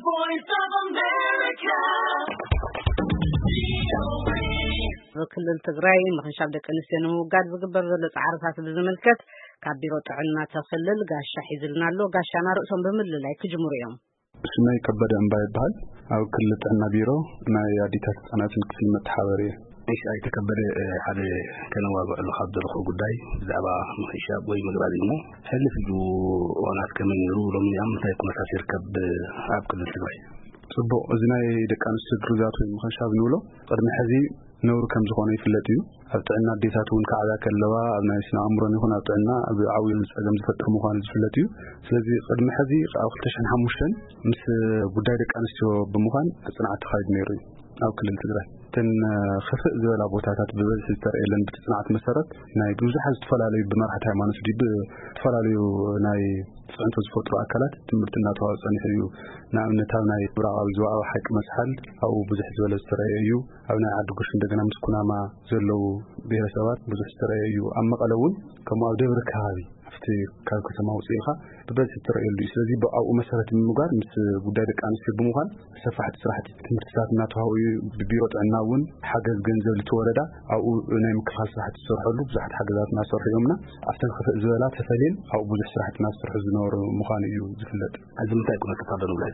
Voice of America. ክልል ትግራይ ምኽንሻብ ደቂ ኣንስትዮ ንምውጋድ ዝግበር ዘሎ ፃዕርታት ብዝምልከት ካብ ቢሮ ጥዕና ተኽልል ጋሻ ሒዝልና ኣሎ። ጋሻና ርእሶም ብምልላይ ክጅምሩ እዮም። ስመይ ከበደ እምባ ይበሃል። ኣብ ክልል ጥዕና ቢሮ ናይ ኣዲታት ህፃናትን ክፍሊ መተሓበሪ እየ። እሺ፣ ኣይተከበደ ሓደ ከነዋግዕሉ ካብ ዘለኹ ጉዳይ ብዛዕባ ምኽንሻብ ወይ ምግራዝ እሞ ሕልፍ ኢሉ እዋናት ከመይ ነይሩ፣ ሎሚ ኣብ ምንታይ ኩነታት ይርከብ ኣብ ክልል ትግራይ? ጽቡቕ፣ እዚ ናይ ደቂ ኣንስትዮ ግርዛት ወይ ምኽንሻብ ንብሎ ቅድሚ ሕዚ ነውሪ ከም ዝኾነ ይፍለጥ እዩ። ኣብ ጥዕና ኣዴታት እውን ከዓብያ ከለዋ ኣብ ናይ ስነ ኣእምሮን ይኹን ኣብ ጥዕና ኣብ ዓብዩ ጸገም ዝፈጥር ምዃኑ ዝፍለጥ እዩ። ስለዚ ቅድሚ ሕዚ ኣብ ክልተ ሽሕን ሓሙሽተን ምስ ጉዳይ ደቂ ኣንስትዮ ብምዃን ጽንዓት ተኻይዱ ነይሩ እዩ። ኣብ ክልል ትግራይ እተን ክፍእ ዝበላ ቦታታት ብበዝሒ ዝተረእየለን ብቲ ጽንዓት መሰረት ናይ ብዙሓት ዝተፈላለዩ ብመራሕቲ ሃይማኖት ድዩ ብዝተፈላለዩ ናይ ጽዕንቶ ዝፈጥሩ ኣካላት ትምህርቲ እናተዋህበ ጸኒሑ እዩ። ንኣብነት ኣብ ናይ ምብራቓዊ ዞባዊ ሓይቂ መስሓል ኣብኡ ብዙሕ ዝበለ ዝተረእየ እዩ። ኣብ ናይ ዓዲ ጉሽ እንደገና ምስ ኩናማ ዘለዉ ብሄረሰባት ብዙሕ ዝተረእየ እዩ። ኣብ መቐለ እውን ከምኡ ኣብ ደብሪ ከባቢ ኣብቲ ካብ ከተማ ውፅእ ኢልካ ብበዝሒ ትረእየሉ እዩ። ስለዚ ብኣብኡ መሰረት ብምግባር ምስ ጉዳይ ደቂ ኣንስትዮ ብምዃን ሰፋሕቲ ስራሕቲ ትምህርትታት እናተዋህቡ እዩ። ብቢሮ ጥዕና እውን ሓገዝ ገንዘብ ልቲ ወረዳ ኣብኡ ናይ ምክልኻል ስራሕቲ ዝሰርሐሉ ብዙሓት ሓገዛት እናሰርሑ እዮምና። ኣብተን ክፍእ ዝበላ ተፈልየን ኣብኡ ብዙሕ ስራሕቲ እናዝሰርሑ ዝነበሩ ምዃኑ እዩ ዝፍለጥ። እዚ ምንታይ ኩነታት ኣሎ ንብሎ?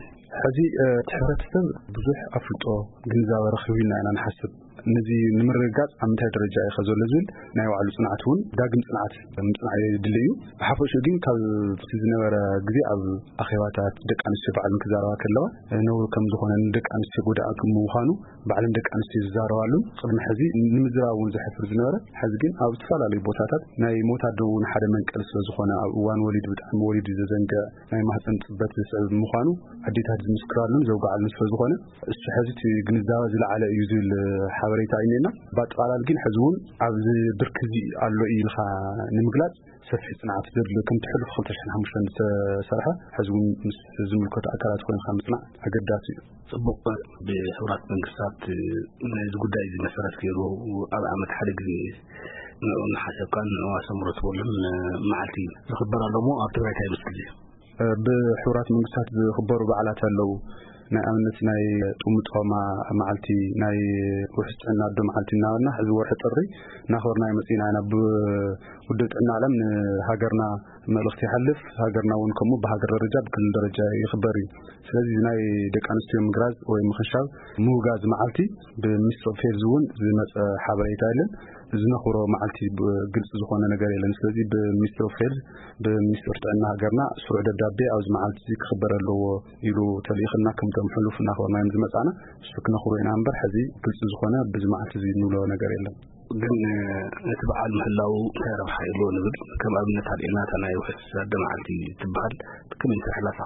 ሕዚ እቲ ሕብረተሰብ ብዙሕ ኣፍልጦ ግንዛበ ረኺቡ ኢልና ኢና ንሓስብ። ነዚ ንምርግጋፅ ኣብ ምንታይ ደረጃ እዩ ዘሎ ዝብል ናይ ባዕሉ ፅንዓት እውን ዳግም ፅንዓት ምፅናዕ የድሊ እዩ። ብሓፈሽኡ ግን ካብ እቲ ዝነበረ ግዜ ኣብ ኣኼባታት ደቂ ኣንስትዮ ባዕለን ክዛረባ ከለዋ ነውሪ ከም ዝኾነ ንደቂ ኣንስትዮ ጎዳኢ ከም ምዃኑ ባዕለን ደቂ ኣንስትዮ ዝዛረባሉን ቅድሚ ሕዚ ንምዝራብ እውን ዘሕፍር ዝነበረ ሕዚ ግን ኣብ ዝተፈላለዩ ቦታታት ናይ ሞት ኣዶ እውን ሓደ መንቀሊ ስለ ዝኾነ ኣብ እዋን ወሊድ ብጣዕሚ ወሊድ ዘዘንግዕ ናይ ማህፀን ፅበት ዘስዕብ ምዃኑ ኣዴታት ዝምስክራሉን ዘውግዓሉን ስለ ዝኾነ እሱ ሕዚ እቲ ግንዛበ ዝለዓለ እዩ ዝብል ሓበሬታ እዩ እኒኤና። ብኣጠቓላሊ ግን ሕዚ እውን ኣብዚ ብርኪ እዚ ኣሎ እዩ ኢልካ ንምግላፅ ሰፊሕ ፅንዓት ዘድልዮ ከምቲ ሕሉፍ ክልተ ሽሕን ሓሙሽተን ዝተሰርሐ ሕዚ እውን ምስ ዝምልከቱ ኣካላት ኮይንካ ምፅናዕ ኣገዳሲ እዩ። ፅቡቕ። ብሕቡራት መንግስታት ነዚ ጉዳይ እዚ መሰረት ገይሩ ኣብ ዓመት ሓደ ግዜ ንዑ እናሓሰብካን ንዑ ኣሰምሮ ትበሉን መዓልቲ ዝኽበር ኣሎ እሞ ኣብ ትግራይ እንታይ ይመስል እዩ? ብሕቡራት መንግስታት ዝኽበሩ በዓላት ኣለዉ። ናይ ኣብነት ናይ ጥሙጦማ መዓልቲ፣ ናይ ውሕስ ጥዕና ኣዶ መዓልቲ እናበልና ሕዚ ወርሒ ጥሪ እናኽበርና መፂና ኢና። ብውድብ ጥዕና ዓለም ንሃገርና መልእኽቲ ይሓልፍ። ሃገርና እውን ከምኡ ብሃገር ደረጃ ብክልል ደረጃ ይኽበር እዩ። ስለዚ ናይ ደቂ ኣንስትዮ ምግራዝ ወይ ምኽንሻብ ምውጋዝ መዓልቲ ብሚኒስትሪ ኦፍ ሄልዝ እውን ዝመፀ ሓበሬታ የለን። ዝነኽብሮ መዓልቲ ብ-፣ ግልፂ ዝኾነ ነገር የለን። ስለዚ ብሚኒስትሪ ኦፍ ሄልዝ ብሚኒስትሪ ጥዕና ሃገርና ስሩዕ ደብዳቤ ኣብዚ መዓልቲ እዚ ክኽበር ኣለዎ ኢሉ ተልኢኽና ከምቶም ሕሉፍ እናኽበርናዮም ዝመፃና እሱ ክነኽብሮ ኢና እምበር ሕዚ ግልፂ ዝኾነ ብዚ መዓልቲ እዚ ንብሎ ነገር የለን። ግን እቲ በዓል ምህላው እንታይ ረብሓ ይህልዎ ንብል ከም ኣብነት ኣልዒልና እታ ናይ ውሕስ ኣደ መዓልቲ ትበሃል ከመይ ትሕለፋ?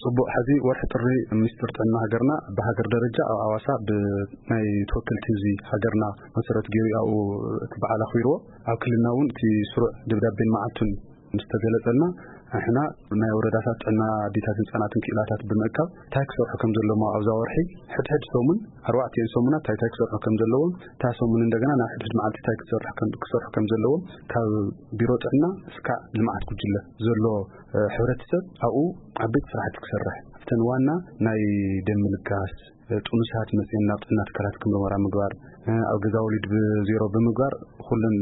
ጽቡቕ። ሕዚ ወርሒ ጥሪ ሚኒስትር ጥዕና ሃገርና ብሃገር ደረጃ ኣብ ኣዋሳ ብናይ ተወከልቲ ህዝቢ ሃገርና መሰረት ገይሩ ኣብኡ እቲ በዓል ኣኽቢርዎ። ኣብ ክልልና እውን እቲ ስሩዕ ደብዳቤን መዓልቱን ምስ ተገለጸልና ንሕና ናይ ወረዳታት ጥዕና ኣዴታትን ህጻናትን ክኢላታት ብምእካብ እንታይ ክሰርሑ ከም ዘለዎም ኣብዛ ወርሒ ሕድሕድ ሰሙን ኣርባዕቲኤን ሰሙናት እንታይ እንታይ ክሰርሑ ከም ዘለዎም እታ ሰሙን እንደገና ናብ ሕድሕድ መዓልቲ እንታይ ክሰርሑ ከም ዘለዎም ካብ ቢሮ ጥዕና እስካዕ ልምዓት ጉጅለ ዘሎ ሕብረተሰብ ኣብኡ ዓበይቲ ስራሕቲ ክሰርሕ ኣብተን ዋና ናይ ደም ምልጋስ ጥኑሳት መፅኦም ናብ ጥዕና ትካላት ክምርመራ ምግባር ኣብ ገዛ ወሊድ ብዜሮ ብምግባር ኩለን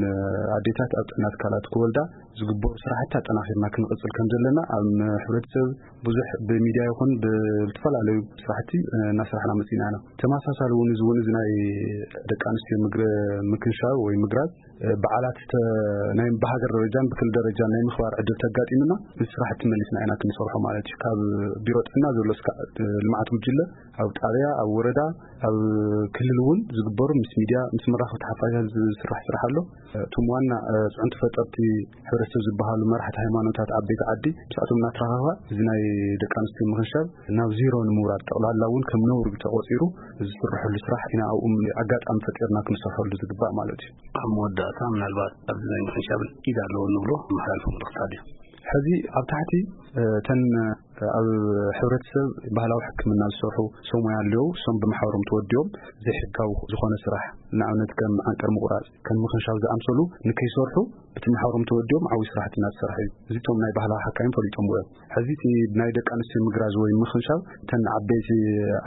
ኣዴታት ኣብ ጥዕና ትካላት ክወልዳ ዝግበሩ ስራሕቲ ኣጠናኺርና ክንቕፅል ከም ዘለና ኣብ ሕብረተሰብ ብዙሕ ብሚድያ ይኹን ብዝተፈላለዩ ስራሕቲ እናሰራሕና መፂና ኢና። ተመሳሳሊ እውን እዚ እውን እዚ ናይ ደቂ ኣንስትዮ ምክንሻብ ወይ ምግራዝ በዓላት ናይ ብሃገር ደረጃን ብክልል ደረጃን ናይ ምኽባር ዕድል ተጋጢምና እዚ ስራሕቲ መሊስና ኢና ክንሰርሖ ማለት እዩ። ካብ ቢሮ ጥዕና ዘሎ እስካዕ ልምዓት ጉጅለ ኣብ ጣብያ ኣብ ወረዳ ኣብ ክልል እውን ዝግበሩ ምስ ሚድያ ምስ መራኸብቲ ሓፋሻት ዝስራሕ ስራሕ ኣሎ። እቶም ዋና ፅዕንቶ ፈጠርቲ ሕብረተሰብ ዝበሃሉ መራሕቲ ሃይማኖታት ዓበይቲ ዓዲ ምስኣቶም እናተራኸባ እዚ ናይ ደቂ ኣንስትዮ ምኽንሻብ ናብ ዜሮ ንምውራድ ጠቕላላ እውን ከም ነውሪ ተቖፂሩ ዝስርሐሉ ስራሕ ኢና ኣብኡ ኣጋጣሚ ፈጢርና ክንሰርሐሉ ዝግባእ ማለት እዩ። ኣብ መወዳእታ ምናልባት ኣብዚ ናይ ምኽንሻብ ኢድ ኣለዎ ንብሎ መሓላልፎ መልእኽቲ ኣሎ። ሕዚ ኣብ ታሕቲ እተን ኣብ ሕብረተሰብ ባህላዊ ሕክምና ዝሰርሑ ሰብ ሞያ ኣለዉ። እሶም ብማሕበሮም ተወዲቦም ዘይሕጋዊ ዝኾነ ስራሕ፣ ንኣብነት ከም ዓንቀር ምቑራጽ፣ ከም ምኽንሻብ ዝኣምሰሉ ንከይሰርሑ ብቲ ማሕበሮም ተወዲቦም ዓብዪ ስራሕቲ እናተሰርሐ እዩ። እዚቶም ናይ ባህላዊ ሓካይም ፈሊጦምዎ እዮም። ሕዚ እቲ ናይ ደቂ ኣንስትዮ ምግራዝ ወይ ምኽንሻብ እተን ዓበይቲ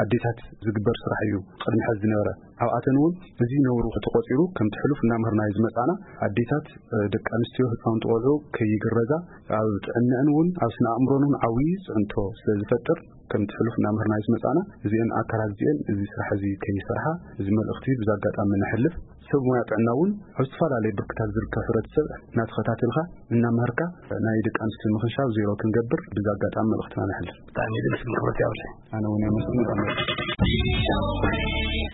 ኣዴታት ዝግበር ስራሕ እዩ ቅድሚ ሕዚ ዝነበረ። ኣብኣተን እውን እዚ ነውሩ ተቆጺሩ ከምቲ ሕሉፍ እናምህርናዮ ዝመጻና ኣዴታት፣ ደቂ ኣንስትዮ፣ ህፃውንቲ ቆልዑ ከይግረዛ ኣብ ጥዕንአን እውን ኣብ ስነ ኣእምሮን እውን ዓብዪ ፅዕንቶ ስለ ዝፈጥር ከምቲ ሕሉፍ እናምህርናዮ ዝመጻና እዚአን ኣካላት እዚአን እዚ ስራሕ እዚ ከይሰርሓ እዚ መልእኽቲ ብዚ ኣጋጣሚ ነሕልፍ። ሰብ ሞያ ጥዕና እውን ኣብ ዝተፈላለዩ ብርክታት ዝርከብ ሕብረተሰብ እናተኸታተልካ እናመህርካ ናይ ደቂ ኣንስትዮ ምኽንሻብ ዜሮ ክንገብር ብዚ ኣጋጣሚ መልእኽትና ነሕልፍ። ብጣዕሚ ደስ ዝብል ክብረት ያብለ። ኣነ እውን የመስግን።